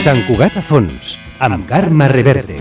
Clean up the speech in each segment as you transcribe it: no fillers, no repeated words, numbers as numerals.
Sant Cugat a fons, amb Carme Reverte.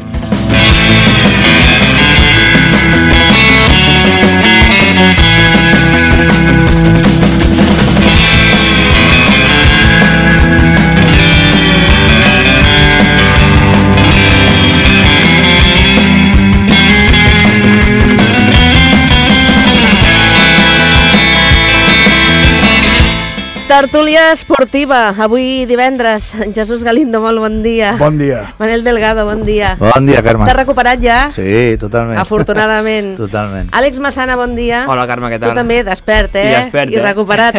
Tertúlia esportiva, avui divendres. Jesús Galindo, molt bon dia. Bon dia. Manel Delgado, bon dia. Bon dia, Carme. T'has recuperat ja? Sí, totalment. Afortunadament. Totalment. Àlex Massana, bon dia. Hola, Carme, què tal? Tu també, despert, I despert, I recuperat.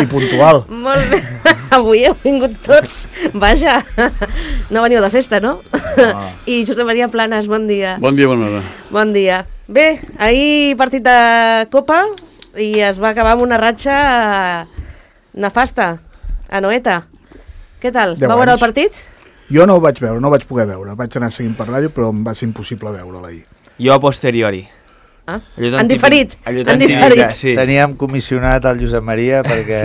I puntual. Molt bé. Avui heu vingut tots. Vaja, no veniu de festa, no? I Josep Maria Planes, bon dia. Bon dia, bona hora. Bon dia. Bé, ahir partit de Copa i es va acabar amb una ratxa nefasta, a Noeta. Què tal? Va veure el partit? Jo no ho vaig veure, no ho vaig poder veure. Vaig anar seguint per ràdio, però em va ser impossible veure-la ahir. Jo a posteriori. Ah, han diferit. Sí. Teníem comissionat el Josep Maria perquè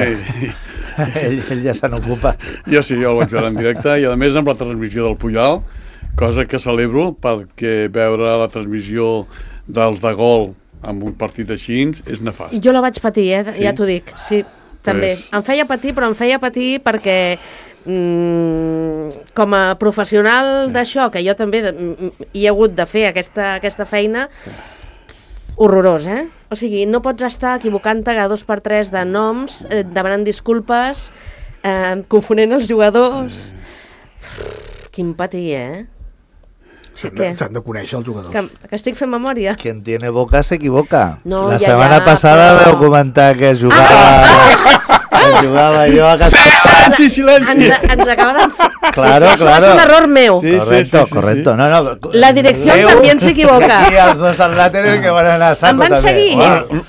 ell ja se n'ocupa. Jo sí, jo el vaig veure en directe i a més amb la transmissió del Puyal, cosa que celebro perquè veure la transmissió dels de gol amb un partit així és nefast. Jo la vaig patir, Sí? ja t'ho dic. Sí, també. Pues... Em feia patir, però em feia patir perquè com a professional d'això, que jo també hi he hagut de fer aquesta feina, horrorós, eh? O sigui, no pots estar equivocant-te cada 2x3 de noms, demanant disculpes, confonent els jugadors... Quin patir, S'han de conèixer els jugadors. Que estic fent memòria. Quien tiene boca se equivoca. No, la ja, setmana passada vau comentar que jugava jo a casa. Silenci! Ens acaba de... Claro. És un error meu. Sí. Correcto. No. La direcció també se equivoca. Aquí els dos al lateral que van anar a saco Em van també. seguir.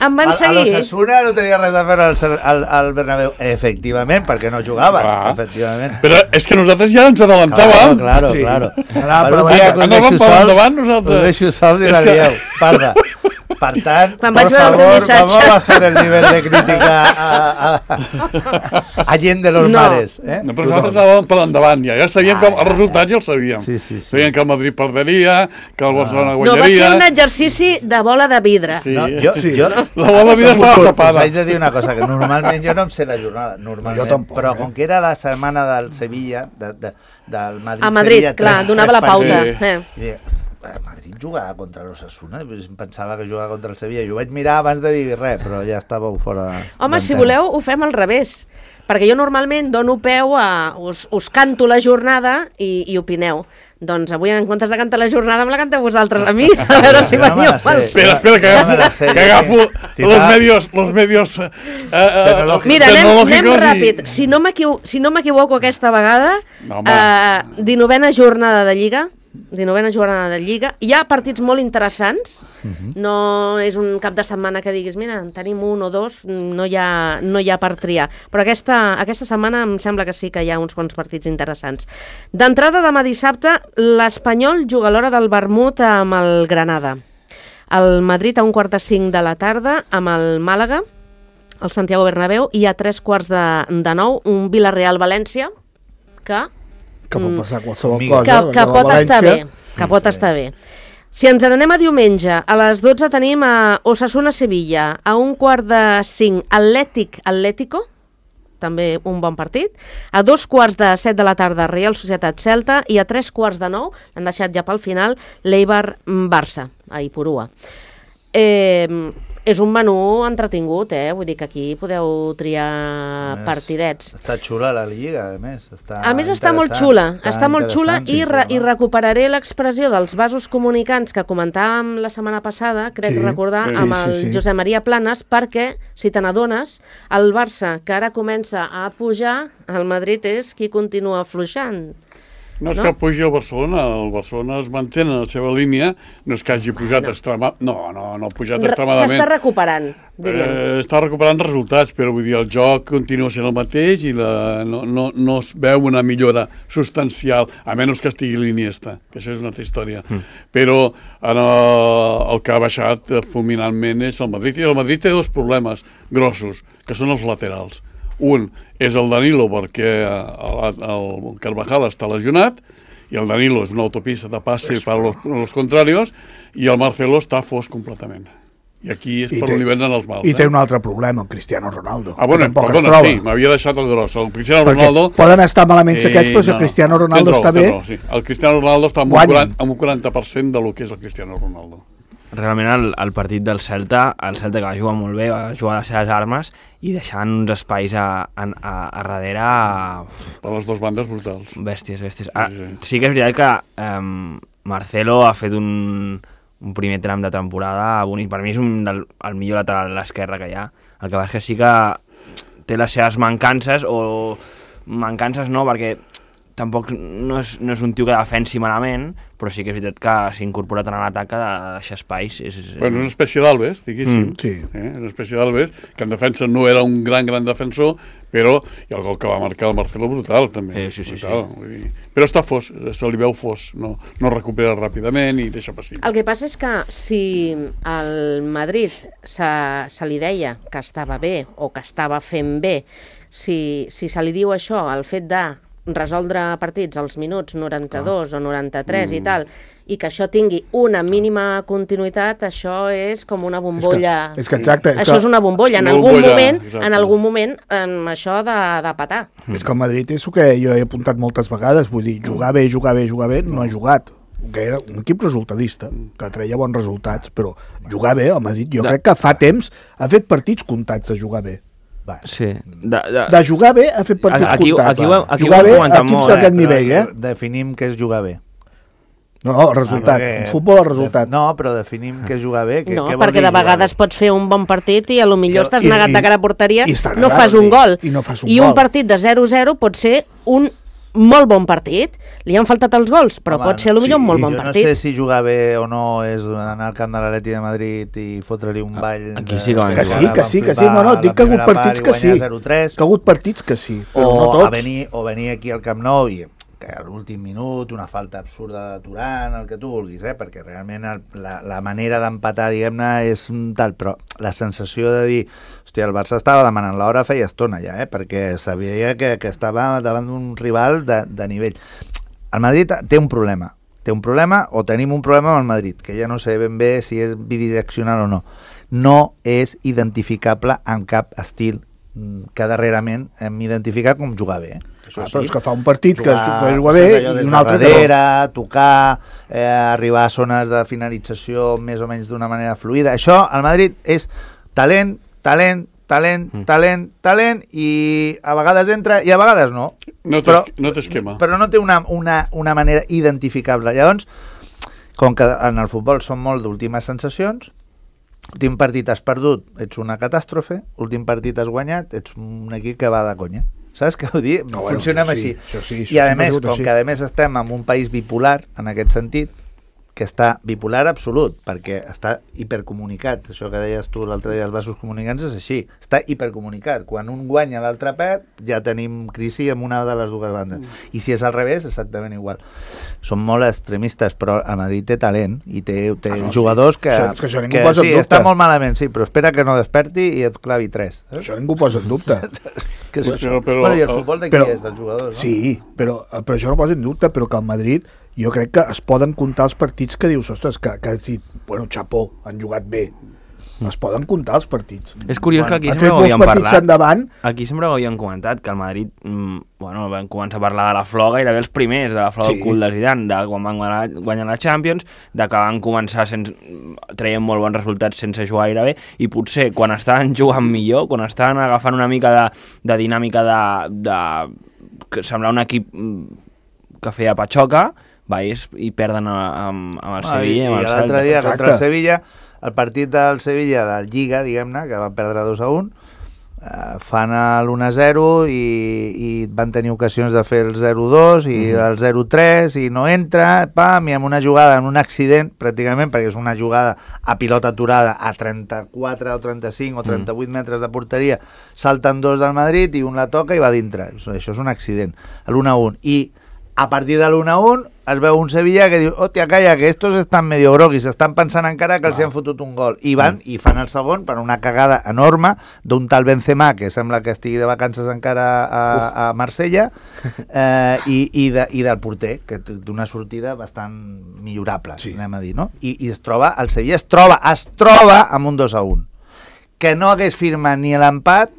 Em van seguir. A l'Osasuna no tenia res a fer al Bernabéu. Efectivament, perquè no jugaven. Efectivament. Però és que nosaltres ja ens adelantàvem. Claro. Anàvem per endavant nosaltres. Us deixo sols i la lieu. Parda. Per tant, Quan por vaig veure el teu favor, missatge. vamos a bajar el nivel de crítica a gent de los mares. No, però nosaltres anàvem per endavant ja sabíem que els resultats ja els sabíem. Sí. Sabíem que el Madrid perderia, que el Barcelona No, va guanyaria... ser un exercici de bola de vidre. Sí. No, jo, La bola de vida estava tapada. us haig de dir una cosa, que normalment jo no em sé la jornada, Jo tampoc, però com que era la setmana del Sevilla, del Madrid... A Madrid, Sevilla, clar, donava la pauta. Sí. El Madrid jugava contra l'Osasuna, em pensava que jugava contra el Sevilla, i ho vaig mirar abans de dir res, però ja estàveu fora... Home, si voleu, ho fem al revés. Perquè jo normalment dono peu a... Us canto la jornada i opineu. Doncs avui, en comptes de cantar la jornada, me la canteu vosaltres a mi, a veure si veniu pels... Espera, que agafo los medios Mira, anem ràpid. Si no m'equivoco aquesta vegada, 19a jornada de Lliga, hi ha partits molt interessants, no és un cap de setmana que diguis, mira, en tenim un o dos, no hi ha per triar, però aquesta setmana em sembla que sí que hi ha uns quants partits interessants. D'entrada, demà dissabte, l'Espanyol juga a l'hora del vermut amb el Granada. El Madrid a 4:45 de la tarda amb el Màlaga, el Santiago Bernabéu, i a 8:45 un Villarreal-València que pot passar qualsevol cosa. Que pot estar bé. Que pot estar bé. Si ens n'anem a diumenge, a les 12 tenim a Osasuna-Sevilla, a 4:45 Atlético, també un bon partit, a 2:15 de la tarda Real Societat-Celta i a 8:45, l'han deixat ja pel final, l'Eibar-Barça, a Ipurua. És un menú entretingut, vull dir que aquí podeu triar partidets. Està xula la Lliga, a més. A més està molt xula, i recuperaré l'expressió dels vasos comunicants que comentàvem la setmana passada, crec recordar, amb el Josep Maria Planes, perquè, si te n'adones, el Barça, que ara comença a pujar, el Madrid és qui continua afluixant. No és que pugi el Barcelona es manté en la seva línia, no és que hagi pujat extremadament. No ha pujat extremadament. S'està recuperant, diríem. Està recuperant resultats, però vull dir, el joc continua sent el mateix i no es veu una millora substancial, a menys que estigui Iniesta, que això és una altra història. Però el que ha baixat fulminantment és el Madrid, i el Madrid té dos problemes grossos, que són els laterals. Un és el Danilo, perquè el Carvajal està lesionat, i el Danilo és una autopista de passe per los contrarios, i el Marcelo està fos completament. I aquí és per on li venen els mals. I té un altre problema, el Cristiano Ronaldo. Bueno, perdona, sí, m'havia deixat el gros. El Cristiano Ronaldo... Poden estar malament aquests, però si el Cristiano Ronaldo està bé... Sí. El Cristiano Ronaldo està amb un 40% del que és el Cristiano Ronaldo. Realment el partit del Celta, el Celta que va jugar molt bé, va jugar les seves armes i deixant uns espais a darrere... Per les dues bandes brutals. Bèsties. Sí que és veritat que Marcelo ha fet un primer tram de temporada bonic. Per mi és el millor lateral a l'esquerra que hi ha. El que va és que sí que té les seves mancances, o mancances no, perquè tampoc no és un tio que defensi malament, però sí que és veritat que s'ha incorporat en l'atac a deixar espais. Bueno, és una espècie d'Alves, diguéssim. Sí. És una espècie d'Alves, que en defensa no era un gran defensor, però i el gol que va marcar el Marcelo brutal, també. Sí. Però està fos, se li veu fos, no recupera ràpidament i deixa passi. El que passa és que si el Madrid se li deia que estava bé o que estava fent bé, si se li diu això, el fet de resoldre partits als minuts 92 o 93 i tal, i que això tingui una mínima continuïtat, això és com una bombolla. És que exacte. Això és una bombolla. En algun moment això ha de petar. És que el Madrid és el que jo he apuntat moltes vegades, vull dir, jugar bé, no ha jugat. Que era un equip resultadista, que treia bons resultats, però jugar bé, el Madrid, jo crec que fa temps ha fet partits comptats de jugar bé. Sí. De jugar bé ha fet partits comptats. Jugar bé a equips d'aquest nivell, Definim què és jugar bé. No, el resultat. En futbol el resultat. No, però definim què és jugar bé. No, perquè de vegades pots fer un bon partit i potser estàs negat de cara a porteria, no fas un gol. I un partit de 0-0 pot ser un molt bon partit. Li han faltat els gols, però pot ser potser un molt bon partit. Jo no sé si jugar bé o no és anar al camp de l'Atleti de Madrid i fotre-li un ball... Aquí sí que van jugar. Que sí. No, dic que ha hagut partits que sí. Que ha hagut partits que sí, però no tots. O venir aquí al Camp Nou i que a l'últim minut, una falta absurda de Turán, el que tu vulguis, perquè realment la manera d'empatar, diguem-ne, és tal, però la sensació de dir, hòstia, el Barça estava demanant l'hora feia estona ja, perquè sabia que estava davant d'un rival de nivell. El Madrid té un problema, o tenim un problema amb el Madrid, que ja no sé ben bé si és bidireccional o no. No és identificable amb cap estil que darrerament hem identificat com jugar bé, però és que fa un partit que juga bé i un altre darrere, tocar, arribar a zones de finalització més o menys d'una manera fluida. Això, al Madrid, és talent i a vegades entra i a vegades no. No té esquema. Però no té una manera identificable. Llavors, com que en el futbol són molt d'últimes sensacions, últim partit has perdut, ets una catàstrofe, últim partit has guanyat, ets un equip que va de conya. Saps què vull dir? Funcionem així. I a més, com que a més estem en un país bipolar, en aquest sentit, que està bipolar absolut, perquè està hipercomunicat. Això que deies tu l'altre dia, els vasos comunicants, és així. Està hipercomunicat. Quan un guanya, l'altre perd, ja tenim crisi en una de les dues bandes. I si és al revés, exactament igual. Són molt extremistes, però el Madrid té talent i té jugadors que sí, està molt malament, sí, però espera que no desperti i et clavi 3. Això ningú posa en dubte. I el futbol de qui és? Dels jugadors, no? Sí, però això no posa en dubte, però que el Madrid, jo crec que es poden comptar els partits que dius, ostres, que has dit, bueno, xapó, han jugat bé. Es poden comptar els partits. És curiós que aquí sempre ho havíem parlat. Aquí sempre ho havíem comentat, que el Madrid, vam començar a parlar de la flor gairebé els primers, de la flor del cul de Zidane, de quan van guanyar la Champions, de que van començar traient molt bons resultats sense jugar gaire bé, i potser quan estaven jugant millor, quan estaven agafant una mica de dinàmica de semblar un equip que feia patxoca, i perden amb el Sevilla i amb el Celta. L'altre dia contra el Sevilla, el partit del Sevilla de Lliga, diguem-ne, que van perdre 2-1, fan l'1-0 i van tenir ocasions de fer el 0-2 i el 0-3 i no entra, pam, i amb una jugada, en un accident, pràcticament, perquè és una jugada a pilota aturada a 34 o 35 o 38 metres de porteria, salten dos del Madrid i un la toca i va dintre. Això és un accident. L'1-1. I a partir de l'1-1 es veu un Sevilla que diu, hòstia, calla, que estos estan medio groguis, estan pensant encara que els han fotut un gol. I van i fan el segon per una cagada enorme d'un tal Benzema, que sembla que estigui de vacances encara a Marsella, i del porter, que té una sortida bastant millorable, anem a dir, no? I el Sevilla es troba amb un 2-1. Que no hagués firmat ni l'empat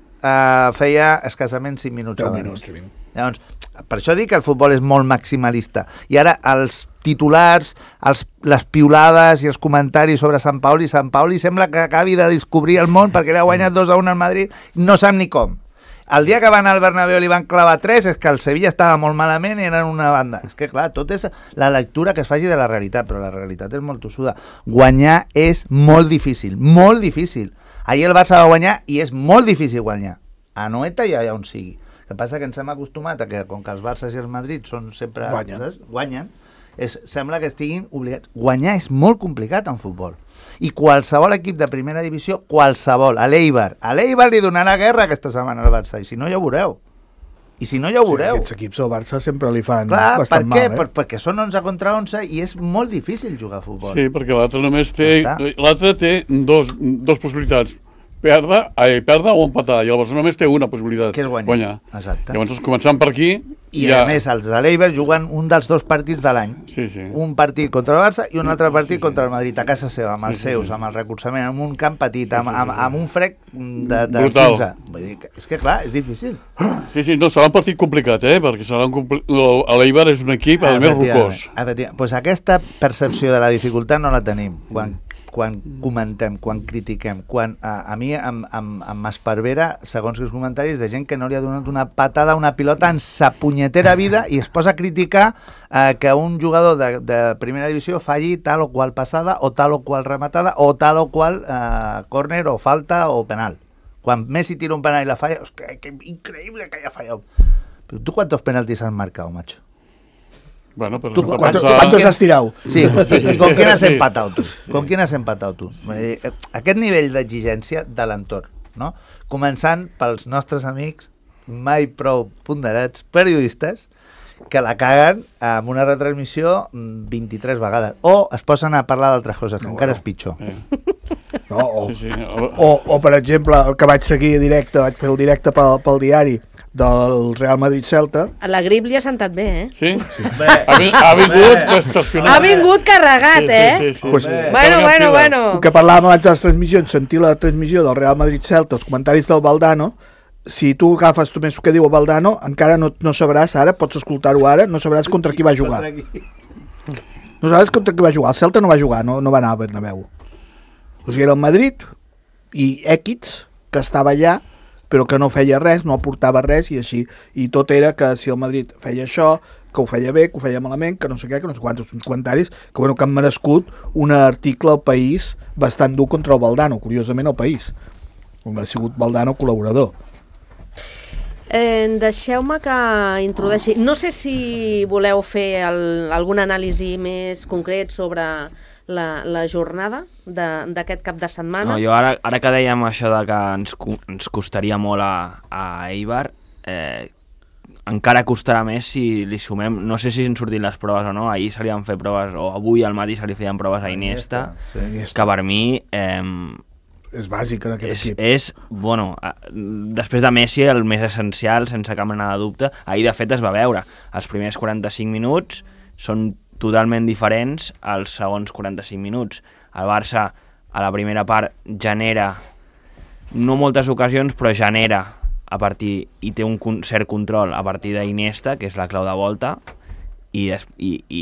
feia escassament 5 minuts abans. Llavors, per això dic que el futbol és molt maximalista. I ara els titulars, les piulades i els comentaris sobre Sant Paoli sembla que acabi de descobrir el món perquè l'ha guanyat 2-1 al Madrid, no sap ni com. El dia que van al Bernabéu li van clavar 3 és que el Sevilla estava molt malament i eren una banda. És que clar, tot és la lectura que es faci de la realitat, però la realitat és molt tossuda. Guanyar és molt difícil, molt difícil. Ahir el Barça va guanyar i és molt difícil guanyar. A Noeta i allà on sigui. El que passa que ens hem acostumat a que, com que els Barça i el Madrid són sempre... Guanyen. Sembla que estiguin obligats. Guanyar és molt complicat en futbol. I qualsevol equip de primera divisió, qualsevol, a l'Eibar li donarà guerra aquesta setmana al Barça, i si no ja ho veureu. Aquests equips del Barça sempre li fan bastant mal. Perquè són 11 contra 11 i és molt difícil jugar a futbol. Sí, perquè l'altre només té... L'altre té dos possibilitats. Perdre o empatar, i el Barça només té una possibilitat, que és guanyar. Exacte. Llavors, començant per aquí... I a més, els de l'Eibar juguen un dels 2 partits de l'any. Sí. Un partit contra el Barça i un altre partit contra el Madrid, a casa seva, amb els seus, amb el recolzament, amb un camp petit, amb un frec de 15. Vull dir, és que clar, és difícil. Sí, no, serà un partit complicat, perquè l'Eibar és un equip, a més, rocós. Doncs aquesta percepció de la dificultat no la tenim. Quan comentem, quan critiquem, a mi em esparvera, segons els comentaris, de gent que no li ha donat una patada a una pilota en sa punyetera vida i es posa a criticar que un jugador de primera divisió falli tal o qual passada o tal o qual rematada o tal o qual córner o falta o penal. Quan Messi tira un penal i la falla, que increïble que haya fallat. Però tu quantos penaltis has marcado, macho? Bueno, pero ¿Cuántos has tirado? Sí, ¿y con quién has empatado tú? ¿Con quién has empatado tú? Aquest nivell d'exigència de l'entorn, no? Començant pels nostres amics mai prou ponderats periodistes que la caguen amb una retransmissió 23 vegades. O es posen a parlar d'altres coses, que encara és pitjor. O, per exemple, el que vaig seguir directe, vaig fer el directe pel diari del Real Madrid-Celta. La grip li ha sentat bé, Sí? Ha vingut estacionat. Ha vingut carregat, Bueno. El que parlàvem abans de les transmissions, sentir la transmissió del Real Madrid-Celta, els comentaris del Valdano, si tu agafes només el que diu el Valdano, encara no sabràs ara, pots escoltar-ho ara, no sabràs contra qui va jugar. No sabràs contra qui va jugar. El Celta no va jugar, no va anar a Bernabéu. O sigui, era el Madrid i Equids, que estava allà, però que no feia res, no aportava res, i així. I tot era que si el Madrid feia això, que ho feia bé, que ho feia malament, que no sé què, que no sé quants, uns comentaris que han merescut un article al País bastant dur contra el Valdano, curiosament al País. Ha sigut Valdano col·laborador. Deixeu-me que introdueixi... No sé si voleu fer algun anàlisi més concret sobre la jornada d'aquest cap de setmana. No, jo ara que dèiem això de que ens costaria molt a Eibar, encara costarà més si li sumem, no sé si han sortit les proves o no, ahir se li han fet proves, o avui al matí se li feien proves a Iniesta, que per mi... és bàsic en aquest equip. Bueno, després de Messi, el més essencial, sense cap mena de dubte. Ahir, de fet, es va veure. Els primers 45 minuts són totalment diferents als segons 45 minuts. El Barça, a la primera part, genera, no moltes ocasions, però genera a partir, i té un cert control a partir d'Iniesta, que és la clau de volta, i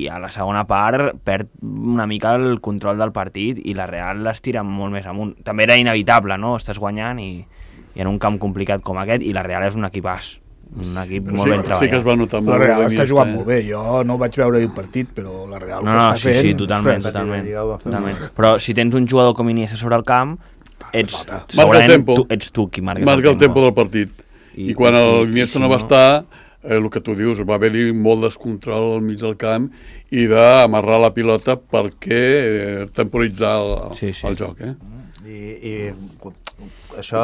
a la segona part perd una mica el control del partit i la Real les tira molt més amunt. També era inevitable, no? Estàs guanyant i en un camp complicat com aquest, i la Real és un equipàs, un equip molt ben treballat. Sí que es va notar molt. La Real està jugant molt bé, jo no vaig veure el partit, però la Real ho està fent. Sí, totalment. Però si tens un jugador com Iniesta sobre el camp, ets tu qui marca el tempo del partit. I quan l'Iniesta no va estar, el que tu dius, va haver-hi molt descontrol al mig del camp i d'amarrar la pilota perquè temporitzar el joc. I això,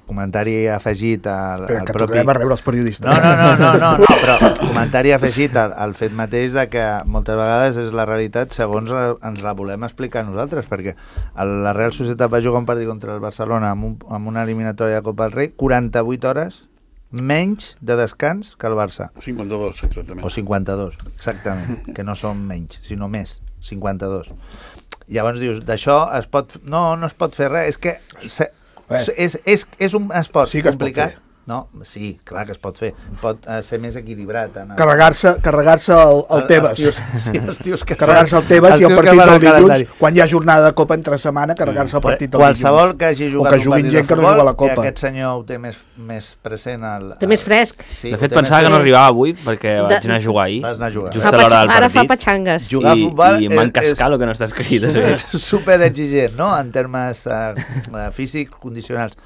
comentari afegit al que propi... tornem a rebre els periodistes. No, però comentari afegit al fet mateix de que moltes vegades és la realitat segons ens la volem explicar nosaltres, perquè la Real Societat va jugar un partit contra el Barcelona amb una eliminatòria de Copa del Rei, 48 hores menys de descans que el Barça. 52, exactament. O 52, exactament, que no són menys, sinó més, 52. Llavors dius, d'això no es pot fer res, és que és un esport sí que complicat. No, sí, clar que es pot fer. Pot ser més equilibrat. Carregar-se el Tebas. Els tios que carregar-se el Tebas i el partit del dilluns, quan hi ha jornada de Copa entre setmana, carregar-se el partit del dilluns. Qualsevol que hagi jugat un partit de futbol, no que aquest senyor ho té més present. Té més fresc. Sí, de fet, pensava que no arribava avui, perquè vaig anar a jugar ahir. Vas anar a jugar. Just a l'hora del partit. Ara fa patxangues. Jugar a futbol i m'encascar el que no està escrit. És super exigent, no?, en termes físics, condicionals.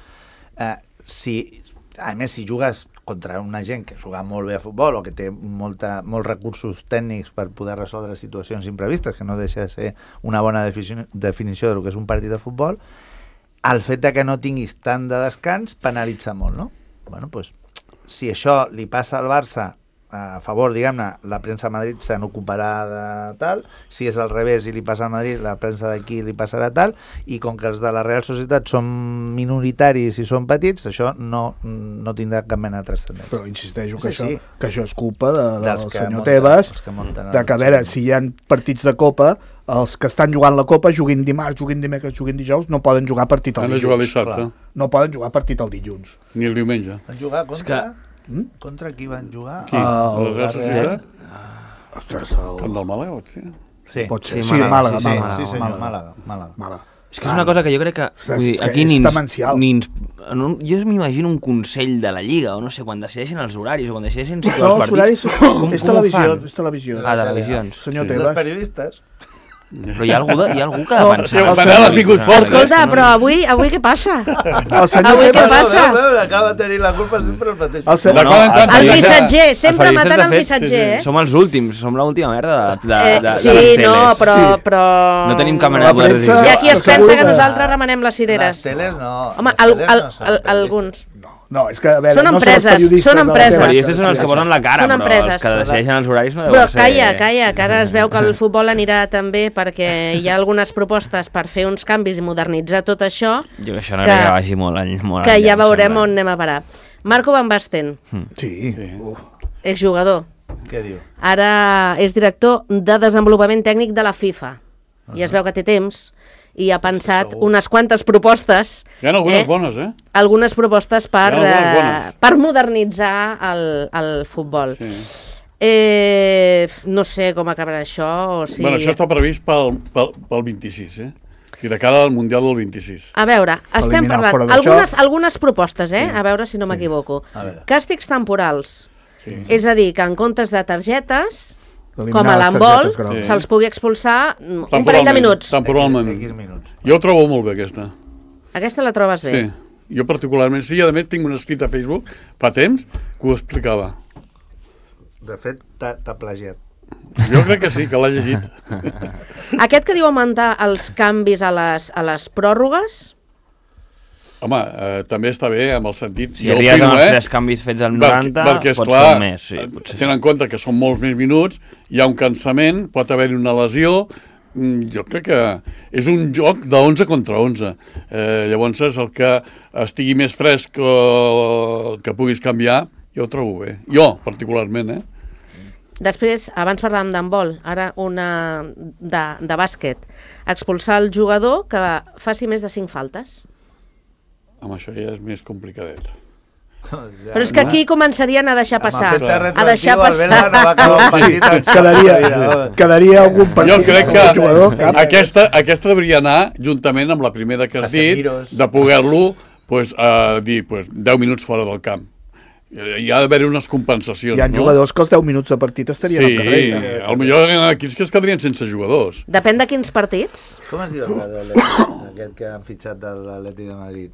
A més, si jugues contra una gent que juga molt bé a futbol o que té molts recursos tècnics per poder resoldre situacions imprevistes, que no deixa de ser una bona definició del que és un partit de futbol, el fet de que no tinguis tant de descans penalitza molt, no? Bueno, doncs, si això li passa al Barça a favor, diguem-ne, la premsa a Madrid se n'ocuparà de tal, si és al revés i li passa a Madrid, la premsa d'aquí li passarà tal, i com que els de la Real Societat són minoritaris i són petits, això no tindrà cap mena de transcendència. Però insisteixo que això és culpa del senyor munten, Tebas, de que, a veure, si hi ha partits de Copa, els que estan jugant la Copa juguin dimarts, juguin dimecres, juguin dijous, no poden jugar partit el dilluns. Han de jugar dissabte. No poden jugar partit el dilluns. Ni el diumenge. Van jugar contra qui van jugar? Qui? La Real Societat? Ostres, Camp del Màlaga, pot ser? Sí, pot ser. Sí, Màlaga. Màlaga. És que és una cosa que jo crec que... Ostres, vull dir, és aquí demencial. jo m'imagino un consell de la Lliga, o no sé, quan decideixen els horaris, o quan decideixen situar No, els els horaris partits. és televisió. És televisió. Ah, televisions. Senyor Els Tebas. periodistes. Però hi ha algú que ha de pensar. Manel, has vingut fort. Escolta, però avui què passa? El senyor Avui què Tebas... passa? Acaba de tenir la culpa sempre el mateix. El missatger, sempre matant el missatger, eh? Som els últims, som l'última merda de les sí, teles. no, però... No tenim cap mena de poder decisió. Hi ha qui es pensa que nosaltres remenem les cireres. Les teles no. Home, alguns. No, és que, a veure, Són no empreses, són els periodistes. són empreses. Els periodistes són els que posen la cara, Són però empreses. els que decideixen els horaris no Però deuen ser... calla, que ara es veu que el futbol anirà també perquè hi ha algunes propostes per fer uns canvis i modernitzar tot això. Jo que això no crec que vagi molt enllà. Que ja veurem on anem a parar. Marco Van Basten, Sí. exjugador. Què diu? Ara és director de desenvolupament tècnic de la FIFA. I es veu que té temps i ha pensat unes quantes propostes. Hi ha algunes bones, eh? Algunes propostes per bones. modernitzar el futbol. Sí. No sé com acabarà això. O si... Bueno, això està previst pel 26, eh? I de cara al Mundial del 26. A veure, estem Eliminar fora parlant d'això. algunes propostes, eh? A veure si no m'equivoco. Càstigs temporals. Sí. És a dir, que en comptes de targetes, Eliminar com a les l'handbol, targetes grogues. se'ls pugui expulsar un parell de minuts. Temporalment. minuts. Jo ho trobo molt bé, aquesta. Aquesta la trobes bé? Sí. Jo particularment sí, a més tinc un escrit a Facebook fa temps que ho explicava. De fet, t'ha plagiat. Jo crec que sí, que l'ha llegit. Aquest que diu augmentar els canvis a les pròrrogues... Home, també està bé amb el sentit... Si arribes amb els 3 canvis fets al 90, perquè pots esclar, fer un més. Sí, tenen en compte que són molts més minuts, hi ha un cansament, pot haver-hi una lesió... Jo crec que és un joc de 11 contra 11. Llavors, el que estigui més fresc o que puguis canviar, jo ho trobo bé. Jo, particularment, eh? Després, abans parlàvem d'handbol, ara una de bàsquet. Expulsar el jugador que faci més de 5 faltes. Amb això ja és més complicadet. Però és que aquí començarien a deixar passar. A deixar passar. Quedaria algun partit. Jo crec que aquesta devia anar juntament amb la primera que has dit, de poder-lo dir 10 minuts fora del camp. Hi ha d'haver unes compensacions. Hi ha jugadors que els 10 minuts de partit estarien al carrer. Sí, potser hi ha equips que es quedarien sense jugadors. Depèn de quins partits. Com es diu aquest que han fitxat de l'Atleti de Madrid?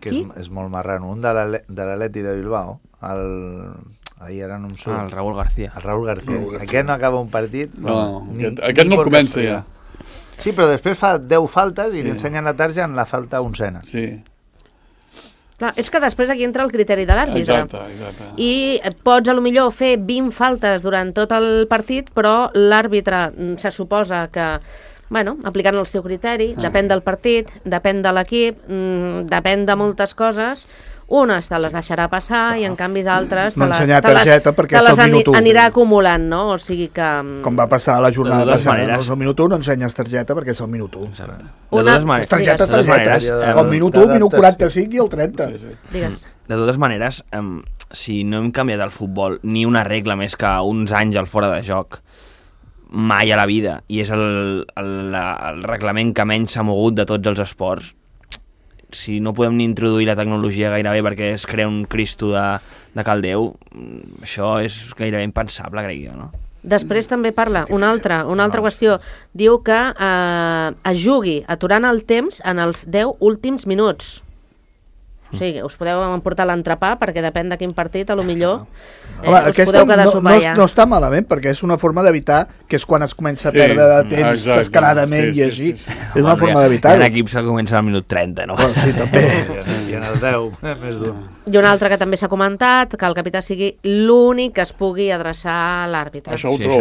Que és molt marrano. Un de l'Atleti de Bilbao. Ahir ara no em surt. El Raúl García. El Raúl García. Aquest no acaba un partit. No, aquest no el comença ja. Sí, però després fa 10 faltes i li ensenyen la tarja en la falta 11ena. Sí. Clar, és que després aquí entra el criteri de l'àrbitre. Exacte. I pots, a lo millor, fer 20 faltes durant tot el partit, però l'àrbitre se suposa que, bueno, aplicant el seu criteri, depèn del partit, depèn de l'equip, depèn de moltes coses. Unes te les deixarà passar i en canvi altres te les anirà acumulant, no? O sigui que... Com va passar a la jornada passada, no és el minut 1, no ensenyes targeta perquè és el minut 1. Exacte. Les targetes, el minut 1, minut 45 i el 30. Digues. De totes maneres, si no hem canviat el futbol ni una regla més que uns anys al fora de joc, mai a la vida, i és el reglament que menys s'ha mogut de tots els esports, si no podem ni introduir la tecnologia gairebé perquè es crea un Cristo de caldeu, això és gairebé impensable, crec jo, no? Després també parla una altra qüestió. Diu que es jugui aturant el temps en els 10 últims minuts. O sigui, us podeu emportar l'entrepà perquè depèn de quin partit, a lo millor us podeu quedar sopar ja. No està malament, perquè és una forma d'evitar que és quan es comença a perdre de temps descaradament i així. És una forma d'evitar-ho. Hi ha equips que comencen al minut 30, no? Sí, també. I en el 10, més dur. I una altra que també s'ha comentat, que el capità sigui l'únic que es pugui adreçar a l'àrbitre. Això ho trobo.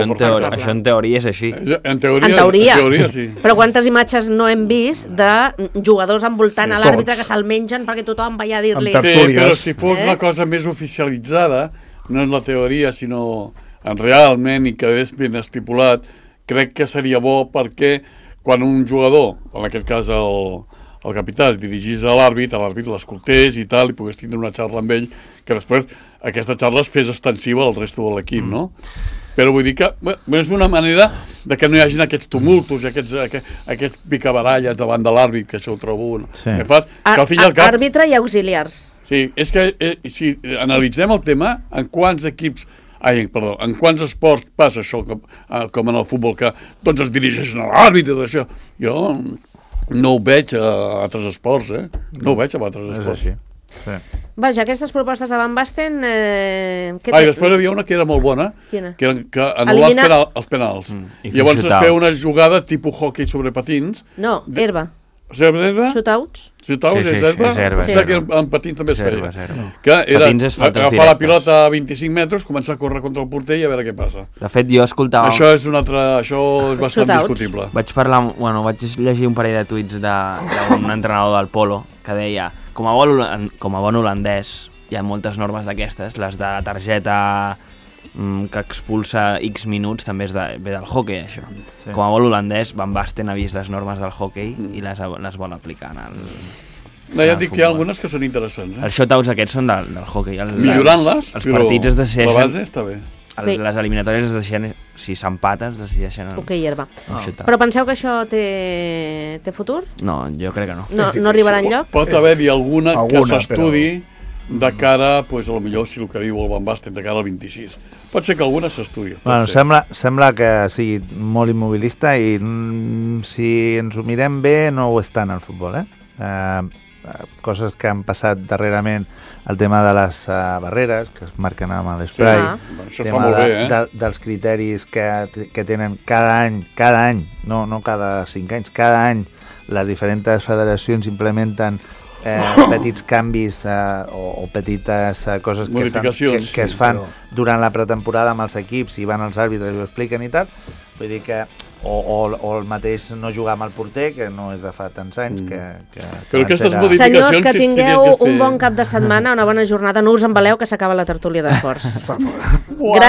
Això en teoria és així. En teoria, sí. Però quantes imatges no hem vist de jugadors envoltant a l'àrbitre que se'l mengen perquè tothom va a dir-li... Sí, però si fos una cosa més oficialitzada, no és la teoria, sinó realment, i que és ben estipulat, crec que seria bo perquè quan un jugador, en aquest cas el capità, es dirigís a l'àrbit l'escoltés i tal, i pogués tindre una xarra amb ell, que després aquesta xarra es fes extensiva al resto de l'equip, no? Però vull dir que és una manera de que no hi hagin aquests tumultos, aquests picabaralles davant de l'àrbit, que això ho trobo... Sí. Àrbitre i auxiliars. Sí, és que si analitzem el tema, en quants esports passa això, com en el futbol, que tots es dirigeixen a l'àrbitre d'això. Jo no ho veig a altres esports, No ho veig a altres esports. Sí. Vaja, aquestes propostes de Van Basten... després hi havia una que era molt bona, Quina? que anul·lar els penals. Llavors es feia una jugada tipus hockey sobre patins. No, herba. Herba? Shootouts? Shootouts és herba? És herba. Que en patins també es feia. Que era agafar la pilota a 25 metres, començar a córrer contra el porter i a veure què passa. De fet, jo escoltava... Això és bastant discutible. Vaig llegir un parell de tuits d'un entrenador del polo que deia, com a bon holandès, hi ha moltes normes d'aquestes, les de la targeta que expulsa X minuts també ve del hockey, això. Sí. Com a bon holandès, Van Basten ha vist les normes del hockey i les vol aplicar en el... No, ja et dic que hi ha algunes que són interessants. Els shootouts aquests són del hockey. Millorant-les, però la base està bé. Les eliminatòries es deixen, si s'empaten, es decideixen... Ok, herba. Però penseu que això té futur? No, jo crec que no. No arribarà enlloc? Pot haver-hi alguna que s'estudi de cara, a lo millor, si el que diu el Van Basten, de cara al 26. Pot ser que alguna s'estudi. Bueno, sembla que sigui molt immobilista i si ens ho mirem bé no ho és tant al futbol, coses que han passat darrerament, el tema de les barreres que es marquen amb l'esprai, el tema dels criteris que tenen cada any, no cada 5 anys, cada any les diferents federacions implementen petits canvis o petites coses que es fan durant la pretemporada amb els equips i van els àrbitres i ho expliquen i tal. Vull dir que o el mateix no jugar amb el porter, que no és de fa tants anys Però aquestes modificacions... Senyors, que tingueu un bon cap de setmana, una bona jornada, no us embaleu que s'acaba la tertúlia d'esports. Gràcies.